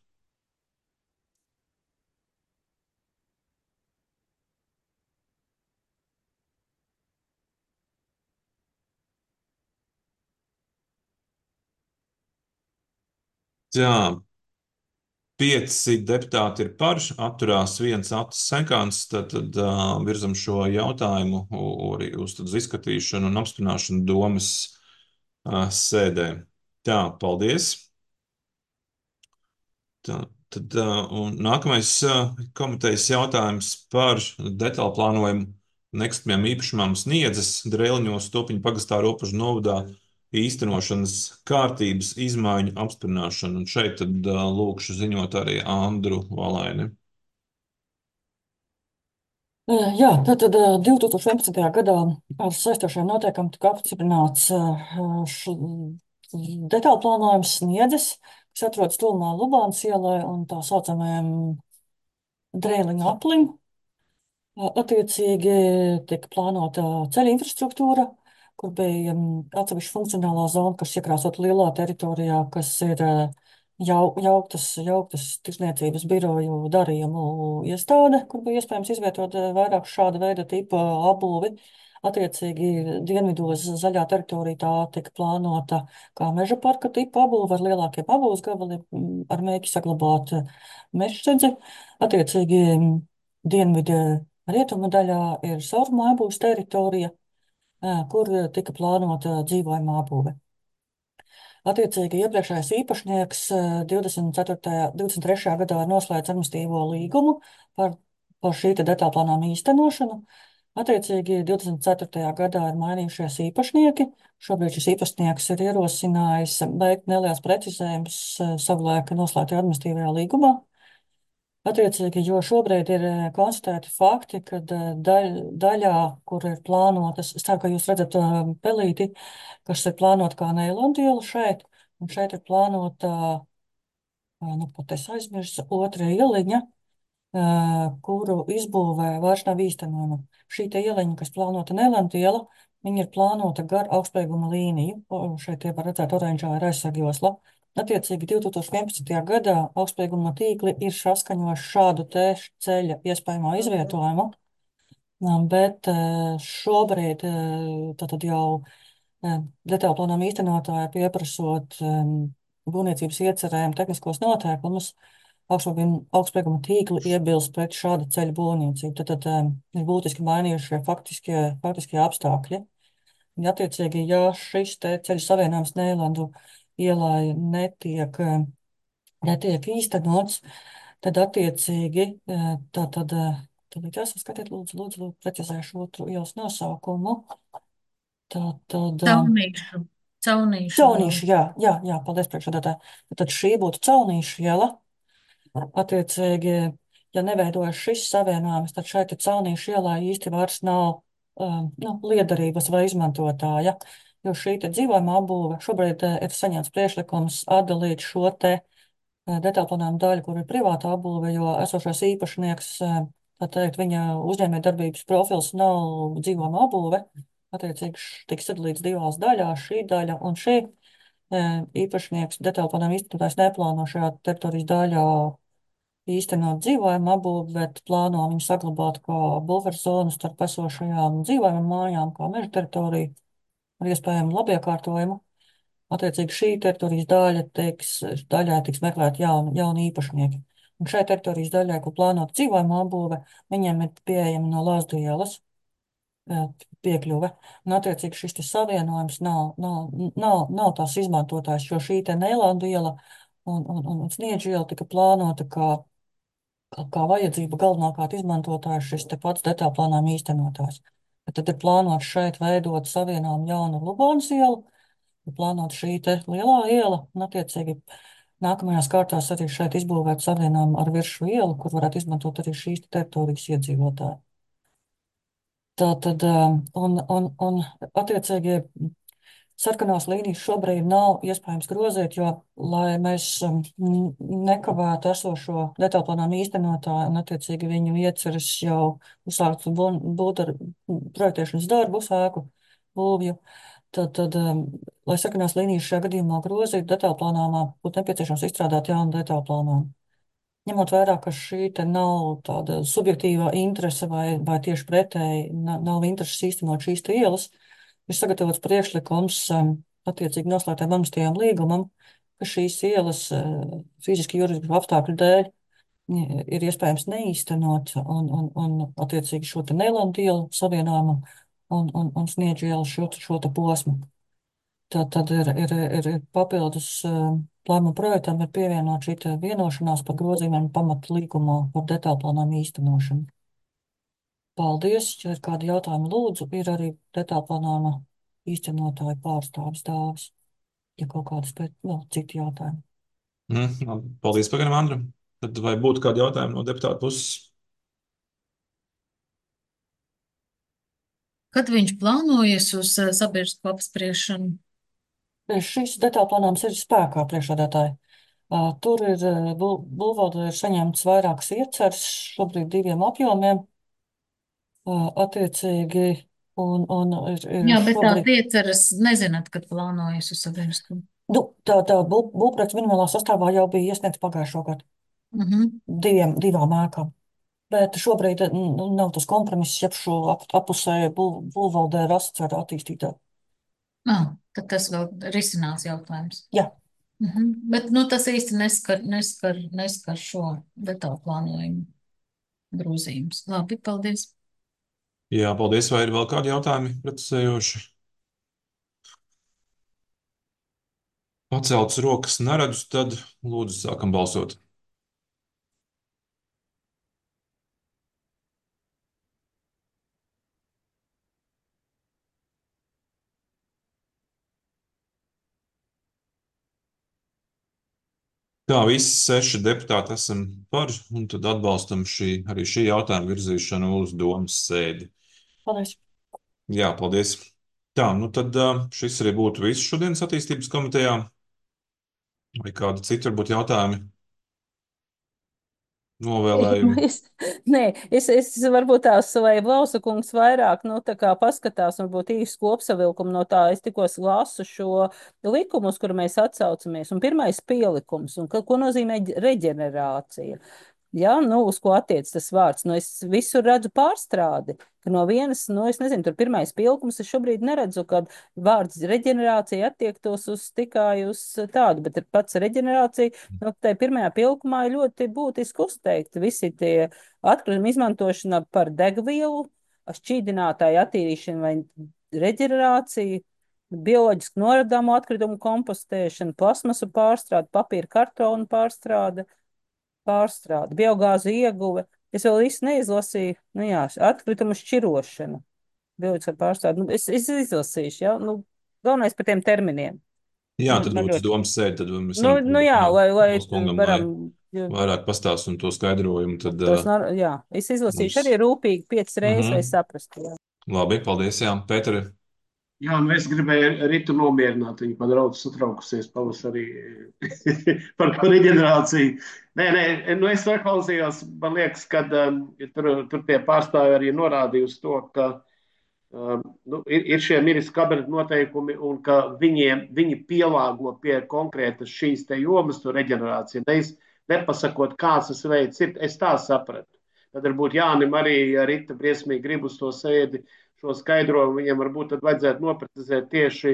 Tā, pieci deputāti ir par, atturās viens Atis Senkāns, tad, tad uh, virzam šo jautājumu u- arī uz tad izskatīšanu un apstiprināšanu domas uh, sēdē. Tā, paldies. Tā, tad, uh, un nākamais uh, komitejas jautājums par detālu plānojumu nekustamajām īpašumām Sniedzes, Drēliņos, Topiņu pagastā, Ropažu novadā īstenošanas kārtības izmaiņu apstiprināšanu. Un šeit tad uh, lūkšu ziņot arī Andru Valaini. Eh, Jā, tātad eh, divtūkstoš vienpadsmitajā gadā ar saistošiem noteikumiem tika apstiprināts eh, š- detālu plānojums Sniedzes, kas atrodas tuvumā Lubānas ielai un tā saucamajam Drēliņu aplim. Attiecīgi tika plānota ceļa infrastruktūra, kur bija mm, atsevišķa funkcionālā zona, kas iekrāsot lielā teritorijā, kas ir eh, jau, jauktas, jauktas tirsniecības biroju darījumu iestāde, kur bija iespējams izvietot eh, vairāk šāda veida tipa apbūvi. Attiecīgi dienvidos zaļā teritorija tā tika plānota kā meža parka tipa apbūve ar lielākiem apbūves gabaliem, mm, ar mērķi saglabāt eh, mežsēdzi. Attiecīgi mm, dienvidu rietumu daļā ir sauruma apbūves teritorija, ā, kur tika plānota dzīvojama apbūve. Attiecīgi iepriekšējais īpašnieks ā, divdesmit ceturtajā. divdesmit trešajā gadā ir noslēdz administratīvo līgumu par, par šī te detālu plānojuma īstenošanu. Attiecīgi divdesmit ceturtajā gadā ir mainījušies īpašnieki. Šobrīd šis īpašnieks ir ierosinājis veikt neliels precizējums ā, savulaik noslēgtajā administratīvajā līgumā. Attiecīgi, jo šobrīd ir eh, konstatēti fakti, ka daļ, daļā, kur ir plānotas, es ceru, ka jūs redzat eh, pelīti, kas ir plānota kā neilandiela šeit, un šeit ir plānota, eh, nu, pat es aizmirsu, otra ieliņa, eh, kuru izbūvē vairs nav īstenojama. Šī te ieliņa, kas plānota neilandiela, viņa ir plānota gar augstsprieguma līniju, o, šeit tie var redzēt oranžā ir aizsargjosla. Attiecīgi divtūkstoš vienpadsmitajā gadā augstsprieguma tīkli ir saskaņojuši šādu te ceļa iespējamo izvietojumu, um, bet uh, šobrīd uh, tātad jau uh, detālu plānojuma īstenotāji pieprasot um, būvniecības iecerējumu tehniskos noteikumus, augstsprieguma augstsprieguma tīkli iebilst pret šāda ceļa būvniecību. Tad, tad um, ir būtiski mainījušie faktiskie, faktiskie apstākļi. Ja attiecīgi, ja šis te ceļu savienojums Neilandu ielai netiek, eh, netiek īstenots, tad attiecīgi eh, tā tad, eh, tad jāsaskatiet, lūdzu, lūdzu, lūdzu, precizēšu otru ielas nosaukumu. Tā tad, eh, Caunīšu. Caunīšu. Caunīša, jā, jā, jā, paldies priekšsēdētāji. Tad šī būtu Caunīša iela. Attiecīgi, ja neveidojas šis savienojums, tad šeit Caunīša ielā īsti vairs nav um, nu, liederības vai izmantotāja, jo šī te dzīvojama apbūve šobrīd eh, ir saņemts priekšlikums atdalīt šo te eh, detālu plānojumu daļu, kur ir privāta apbūve, jo esošais īpašnieks, eh, tā teikt, viņa uzņēmējdarbības profils nav dzīvojama apbūve. Attiecīgi š- tiks sadalīts divās daļās, šī daļa un šī. Eh, Īpašnieks detālu plānojumu īstenotājs neplāno šajā teritorijas daļā īstenot dzīvojumu apbūvi, bet plāno viņu saglabāt kā buferzonu starp esošajām dzīvojumu mājām, kā meža teritorija ar iespējamu labiekārtojumu. Attiecīgi šī teritorijas daļa tiks, daļā tiks meklēt jauni, jauni īpašnieki. Un šai teritorijas daļai, kur plānota dzīvojamā būve, viņiem ir pieejama no Lāzdu ielas piekļuve. Un, attiecīgi, šis te savienojums nav, nav, nav, nav tās izmantotājs, jo šī te Neilandu iela un, un, un, un Sniedžu iela tika plānota kā, kā, kā vajadzība galvenokārt izmantotājs šis te pats detaļplānām īstenotājs. Bet tad ir plānots šeit veidot savienojumu jaunu Lubonas ielu, ir plānot šī te lielā iela, un, attiecīgi, nākamajās kārtās arī šeit izbūvēt savienojumu ar Viršu ielu, kur varētu izmantot arī šīs te teritorijas iedzīvotāji. Tā tad, un, un, un attiecīgi, sarkanās līnijas šobrīd nav iespējams grozīt, jo, lai mēs nekavētu esošo detaļplānām īstenotāju un, attiecīgi, viņu ieceras jau uzsākt būt ar projektēšanas darbu, sēku būvju, tad, tad, lai sarkanās līnijas šajā gadījumā grozītu, detaļplānā būtu nepieciešams izstrādāt jaunu detaļplānojumu. Ņemot vērā, ka šī te nav tāda subjektīvā interese vai, vai tieši pretēji nav, nav intereses īstenot šīs te ielas, ir sagatavots priekšlikums attiecīgi noslēgtiem amnestijām līgumam, ka šīs ielas fiziski juridisku apstākļu dēļ ir iespējams neīstenot un, un, un attiecīgi šo te Neilandu ielu savienojumu un, un, un Sniedžu ielu šo, šo te posmu. Tad, tad ir, ir, ir papildus plānuma projektam ir pievienot šī vienošanās par grozījumiem pamatu līgumā par detaļplānām īstenošanu. Paldies, ja ir kādi jautājumi, lūdzu, ir arī detaļplānām īstenotāju pārstāvis dāvis, ja kaut kādas pēc, vēl citi jautājumi. Mm, paldies, pagaram, Andram. Tad vai būtu kādi jautājumi no deputāta puses? Kad viņš plānojas uz sabiedrisko apspriešanu? Šis detaļplānojums ir spēkā, priekšsēdētāji. Tur ir būvvalde ir saņemts vairākas ieceres, šobrīd diviem apjomiem, attiecīgi, un, un ir, ir Jā, bet šobrīd... tā ieceras nezināt, kad plānojas uz sabiedrisko. Nu, tā, tā bū, būvprojekts minimālā sastāvā jau bija iesniegts pagājušo gadu. Uh -huh. Diviem, divām ēkām. Bet šobrīd nu, nav tas kompromiss, ja šo ap, apusēju būv, būvvaldē rasts ar attīstītāju. Ah, tad tas vēl risināts jautājums. Jā. Uh -huh. Bet nu, tas īsti neskar, neskar, neskar šo detālu plānojumu grozījumus. Labi, paldies. Jā, paldies. Vai ir vēl kādi jautājumi precizējoši? Paceltas rokas neredzu, tad lūdzu sākam balsot. Tā, visi seši deputāti esam par, un tad atbalstam šī, arī šī jautājuma virzīšanu uz domas sēdi. Paldies. Jā, paldies. Tā, nu tad šis arī būtu viss šodienas attīstības komitejā. Vai kādi citi varbūt jautājumi? Novēlējumi. Es, nē, es, es varbūt tās, vai Blausa kungs vairāk, nu, tā kā paskatās, varbūt īsti kopsavilkumu no tā, es tikko lasu šo likumu, uz kuru mēs atsaucamies, un pirmais pielikums, un ko, ko nozīmē reģenerācija. Ja, nu, uz ko attiec tas vārds? Nu, es visur redzu pārstrādi, ka no vienas, nu, es nezinu, tur pirmais pielikums, es šobrīd neredzu, kad vārds reģenerācija attiektos uz tikai uz tādu, bet ir pats reģenerācija, nu, tai pirmajā pielikumā ir ļoti būtiski uzteikti visi tie atkritumi izmantošana par degvielu, šķīdinātāju attīrīšanu vai reģenerāciju, bioloģiski noradāmo atkritumu kompostēšana, plasmasu pārstrāde, papīra kartonu pārstrāde, pārstrāde, biogāzu ieguve. Es vēl īsti neizlasīju, nu jā, atkritumu šķirošana, bioloģiskā pārstrāde. Nu, es, es izlasīšu, jā, nu, galvenais par tiem terminiem. Jā, Nu, tad man būtu ļoti- domas sēdi, tad mēs Nu, varam nu jā, lai, lai Valsts kungam, varam, lai vairāk pastāst un to skaidrojumu, tad tos, uh, nar- jā, es izlasīšu mums- arī rūpīgi piecas reizes, Mhm. lai saprastu, jā. labi, paldies, jā, Pēteri. Jā, nu es gribēju Ritu nomierināt. Viņa padraudz satraukusies pavasarī par to reģenerāciju. Nē, nē, nu es klausījos, man liekas, ka um, tur, tur tie pārstāvi arī norādīja uz to, ka um, nu, ir, ir šie ministru kabineta noteikumi un ka viņiem, viņi pielāgo pie konkrētas šīs te jomas to reģenerāciju. Neiz, nepasakot, kāds tas veids ir, es tā sapratu. Tad varbūt Jānim arī, ja Rita briesmīgi grib uz to sēdi, šo skaidrojumu viņam varbūt tad vajadzētu noprecizēt tieši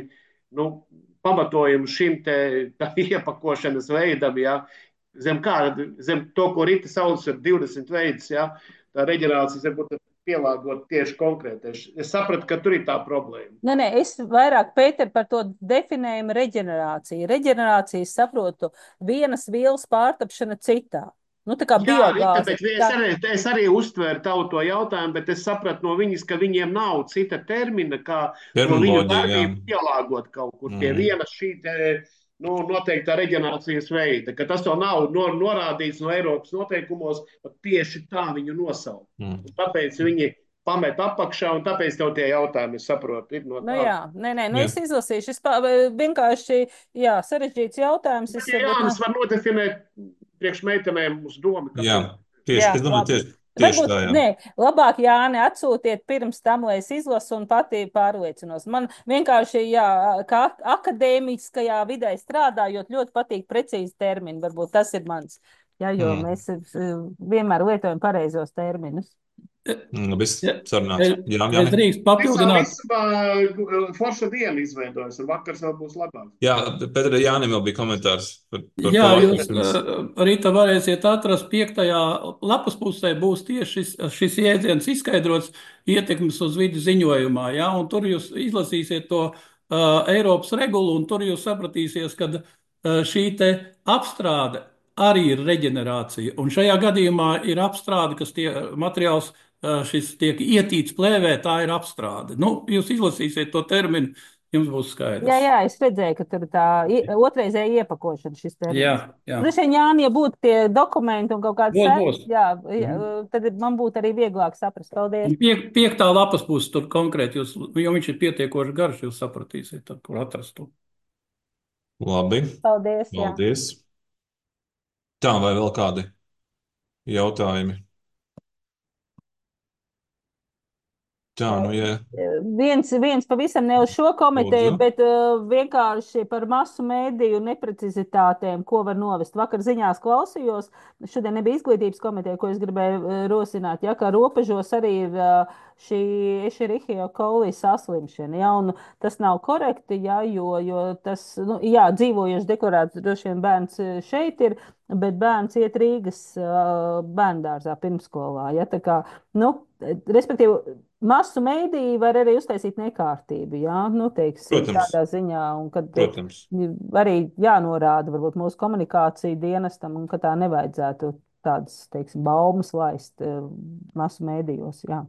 nu, pamatojumu šim te iepakošanas veidam, ja, zem kā, zem to, ko Rita sauc ar divdesmit veidus, ja, tā reģenerācijas varbūt pielāgot tieši konkrēti. Es sapratu, ka tur ir tā problēma. Nē, nē, es vairāk, Pēter, par to definējumu reģenerāciju. Reģenerāciju saprotu vienas vielas pārtapšana citā. Nu, tā kā Jā, Rita, biogāze. bet es Tā, arī, es arī uztvēru tavu to jautājumu, bet es sapratu no viņas, ka viņiem nav cita termina, kā to viņu Terminoloģija, jā. darbību pielāgot kaut kur pie Mm. vienas šī te, nu, noteiktā reģenerācijas veida, ka tas vēl nav nor, norādīts no Eiropas noteikumos, pat tieši tā viņu nosaukt. Mm. Tāpēc viņi pamet apakšā, un tāpēc tev tie jautājumi, es saprotu, ir no nu tā. jā, nē, nē, nu Jā. es izlasīšu. Es pā, vienkārši, jā, sarežģīts jautājums. Es, Bet, ja bet, Jānis var nodefinēt priekš meitenēm uz domu, Jā, kāpēc. tieši, Jā, es domāju, labi. tieši, tieši Varbūt, tā, jā. nē, labāk, Jāni, atsūtiet pirms tam, lai es izlasu un pati pārliecinos. Man vienkārši, jā, kā akadēmiskajā vidē strādājot, ļoti patīk precīzi termini. Varbūt tas ir mans, jā, jo Mm. mēs eh, vienmēr lietojam pareizos terminus. Mm, Viss Ja, sarunāts. es, Jā, es Jāni. drīkst Es jau papildināt. visu forša dienu izveidojos, un vakars vēl būs labāk. Jā, Pētera, Jānim vēl bija komentārs par, par Jā, to. jūs uh, Rīta varēsiet atrast piektajā lapas pusē būs tieši šis, šis jēdziens izskaidrots ietekmes uz vidi ziņojumā, jā, un tur jūs izlasīsiet to uh, Eiropas regulu, un tur jūs sapratīsiet, ka uh, šī te apstrāde arī ir reģenerācija, un šajā gadījumā ir apstrāde, kas tie materiāls uh, šis tiek ietīts plēvē, tā ir apstrāde. Nu, jūs izlasīsiet to terminu, jums būs skaidrs. Jā, jā, es redzēju, ka tur tā i- otrreizēja iepakošana šis termins. Jā, jā. Droši vien, Jāni, ja būtu tie dokumenti un kaut kāds Būs, sēks, būs. jā, jā, tad man būtu arī vieglāk saprast. Paldies. Un Pie, piektā lapas puse tur konkrēti, jūs, jo viņš ir pietiekoši garš, jūs sapratīsiet, tad, kur atrast to. Labi, Paldies, jā. paldies. Tā, vai vēl kādi jautājumi? Tā, nu, ja Viens, viens pavisam ne uz šo komiteju, Lūdzu. bet uh, vienkārši par masu mēdīju neprecizitātēm, ko var novest. Vakar ziņās klausījos, šodien nebija izglītības komiteja, ko es gribēju uh, rosināt, ja, ka robežos arī ir uh, šī Ešerichia coli saslimšana, ja, un tas nav korekti, ja, jo, jo tas, nu, jā, dzīvojuši deklarēts droši vien bērns šeit ir, bet bērns iet Rīgas uh, bērndārzā pirmskolā, ja, tā kā, nu, respektīvi, masu mēdīji var arī uztaisīt nekārtību, jā, nu, teiksim, Protams. tādā ziņā, un kad Protams. arī jānorāda varbūt mūsu komunikāciju dienestam, un ka tā nevajadzētu tādas, teiksim, baumas laist eh, masu mēdījos, jā.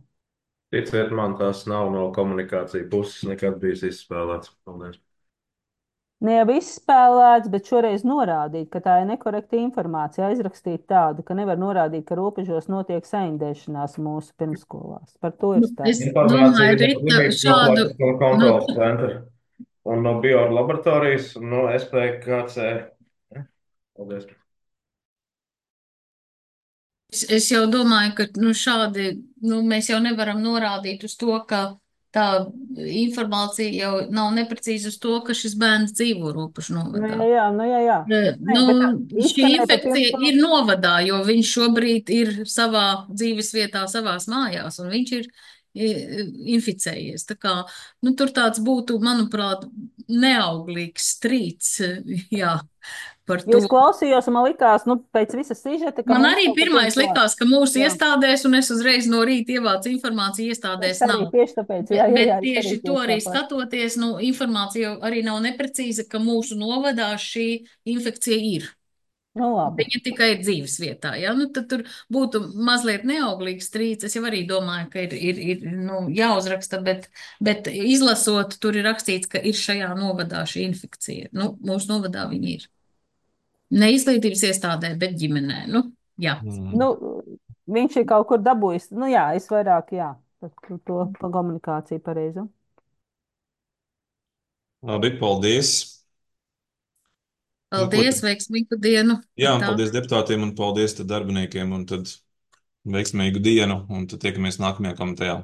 Ticiet man, tas nav no komunikācijas puses nekad bijis izspēlēts. Paldies. Ne jau izspēlēts, bet šoreiz norādīt, ka tā ir nekorekta informācija, aizrakstīt tādu, ka nevar norādīt, ka robežos notiek saindēšanās mūsu pirmskolās. Par to ir Nu, stāsts. es domāju, Rita, šādu, no nu, kontrolas centra un no biolaboratorijas un no S P K C. Paldies. Es, es jau domāju, ka nu, šādi nu, mēs jau nevaram norādīt uz to, ka tā informācija jau nav neprecīza uz to, ka šis bērns dzīvo robežu Nu, novadā. jā, jā, nu, jā, jā. Nē, Nē, nu, bet tā šī izskanēja par infekcija pirmskolu. ir novadā, jo viņš šobrīd ir savā dzīves vietā, savās mājās, un viņš ir i, inficējies. Tā kā, nu, tur tāds būtu, manuprāt, neauglīgs strīds, jā, par Jo to. es klausījos, un man likās, nu, pēc visas sižeta, ka Man mums arī kaut kas pirmais ir klāt. likās, ka mūsu Jā. iestādēs, un es uzreiz no rīta ievācu informāciju, iestādēs Es arī nav. tieši tāpēc, Bet, jā, jā, bet jā, es tieši arī to tieši arī tāpat. skatoties, nu, informācija jau arī nav neprecīza, ka mūsu novadā šī infekcija ir. Nu, labi. Viņa tikai ir dzīves vietā, ja? Nu, tad tur būtu mazliet neauglīgs strīds. Es jau arī domāju, ka ir, ir, ir nu, jāuzraksta, bet, bet izlasot, tur ir rakstīts, ka ir šajā novadā šī infekcija. Nu, mūsu novadā viņa ir. Ne izglītības iestādē, bet ģimenē. Nu, jā. Mm. Nu, viņš ir kaut kur dabūjis. Nu, jā, es vairāk, jā, par to pa komunikāciju pareizu. Labi, paldies. Nu, ko Paldies, tad? veiksmīgu dienu. Jā, un Tā. paldies deputātiem un paldies tad darbiniekiem un tad veiksmīgu dienu un tad tiekamies nākamajā komitejā.